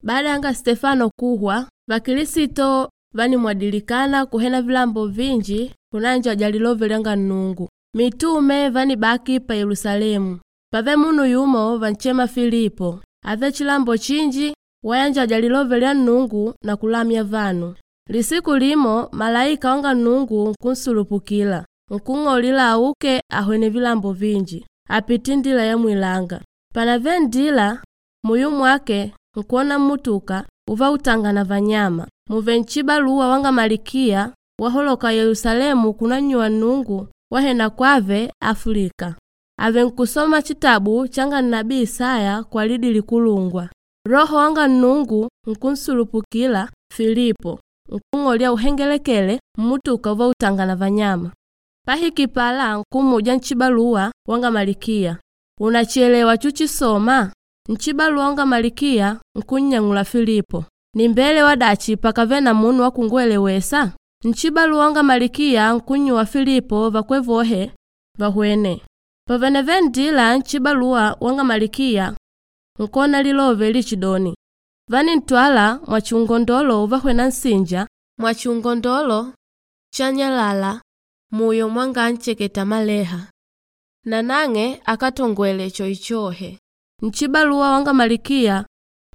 Baada yanga Stefano kuhwa, Vakilisito vanimwadilikana kuhena vilambo vinji kunanjaja lilove lyanga Nnungu. Mitume vanibaki pa Yelusalemu. Pave munu yumo vanchema Filipo, ave chilambo chinji wayanjaja lilove lya Nnungu na kulamya vanu. Lisiku limo malaika wanga Nnungu nkunsulupukila, nkung'aulila auke ahwene vilambo vinji, apite indila yamwilanga. Panave nndila, muyo mwake nkwona mmutuka uvautanga na vanyama, muve nchibaluwa wanga Malikiya wahaloka Yelusalemu kunannyuwa Nnungu wahena kwave Afilika. Ave nkusoma chitabu changa nnabii Isaya kwa lidi likulungwa. Loho wanga Nnungu nkunsulupukila Filipo, nkung'olya auhengelekele mmutuka uvautanga na vanyama. Pahiki pala nkumuja nchibaluwa wanga Malikiya, “Unachelewa chuchisoma?” Nchibaluwa wanga Malikiya nkunnyang'ula Filipo, “Nimbelewa dachi pakave na munu wa kungwelewesa?” Nchibaluwa wanga Malikiya nkunnyuwa Filipo vakwe vohe vahwene. Paveneve nndila nchibaluwa wanga Malikiya nkona lilove lichidoni, “Vanintwala mwachiungondolo uvahwena nsinja mwachiungondolo chanyalala muyo mwanga ancheketa maleha.” Nanang'e akatongwele choichohe. Nchibaluwa wanga Malikiya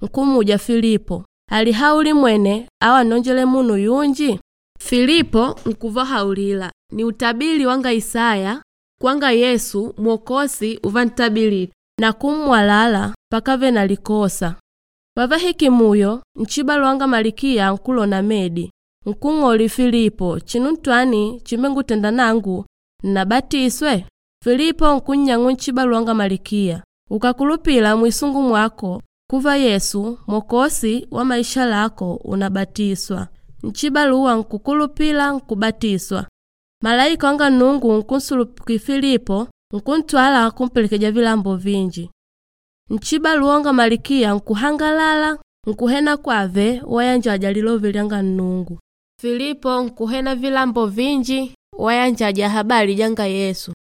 nkumuja Filipo, “Alihauli mwene au annonjele munu yunji?” Filipo nkuvahaulila, “Ni utabili wanga Isaya kwanga Yesu Mwokozi uvantabilite na kummwalala pakave na likosa.” Pavahiki muyo, nchibaluwa wanga Malikiya nkulona medi, nkung'oli Filipo, “Chinu ntwani chimbengutenda nangu nnabatiswe?” Filipo nkunnyang'u nchibaluwa wanga Malikiya, “Ukakulupila mwisungu mwako kuva Yesu Mwokozi wa maisha lako unabatiswa.” Nchibaluwa nkukulupila nkubatiswa. Malaika wanga Nnungu nkunsulupuki Filipo nkuntwala kumpelekeja vilambo vinji. Nchibaluwa wanga Malikiya nkuhangalala nkuhena kwave wayanjaja lilove lyanga Nnungu. Filipo nkuhena vilambo vinji wayanjaja habali janga Yesu.